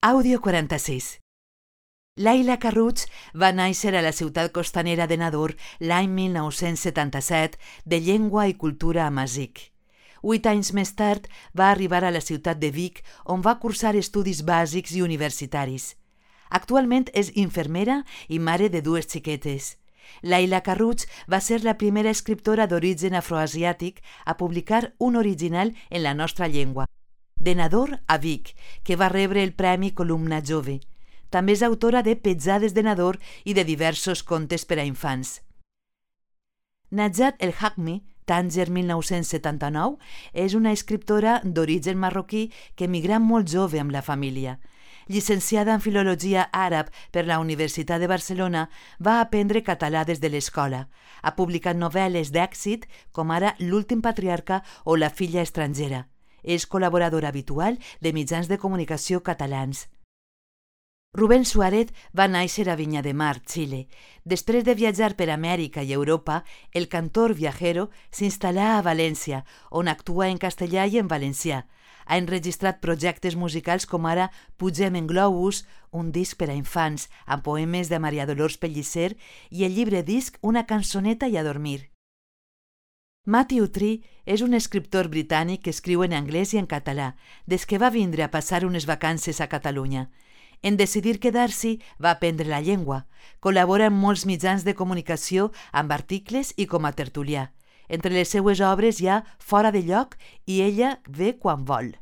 Àudio 46. Laila Carruig va néixer a la ciutat costanera de Nador l'any 1977, de llengua i cultura amazic. 8 anys més tard va arribar a la ciutat de Vic, on va cursar estudis bàsics i universitaris. Actualment és infermera i mare de 2 xiquetes. Laila Carruig va ser la primera escriptora d'origen afroasiàtic a publicar un original en la nostra llengua, de Nador a Vic, que va rebre el Premi Columna Jove. També és autora de Petjades de Nador i de diversos contes per a infants. Najat El Hakmi, Tànger 1979, és una escriptora d'origen marroquí que emigrà molt jove amb la família. Llicenciada en Filologia Àrab per la Universitat de Barcelona, va aprendre català des de l'escola. Ha publicat novel·les d'èxit com ara L'últim patriarca o La filla estrangera. És col·laboradora habitual de mitjans de comunicació catalans. Rubén Suárez va néixer a Vinya de Mar, Xile. Després de viatjar per Amèrica i Europa, el cantor viajero s'instal·là a València, on actua en castellà i en valencià. Ha enregistrat projectes musicals com ara Pugem en globus, un disc per a infants amb poemes de Maria Dolors Pellicer, i el llibre disc Una cançoneta i a dormir. Matthew Tree és un escriptor britànic que escriu en anglès i en català, des que va vindre a passar unes vacances a Catalunya. En decidir quedar-s'hi, va aprendre la llengua. Col·labora en molts mitjans de comunicació amb articles i com a tertulià. Entre les seues obres hi ha Fora de lloc i Ella ve quan vol.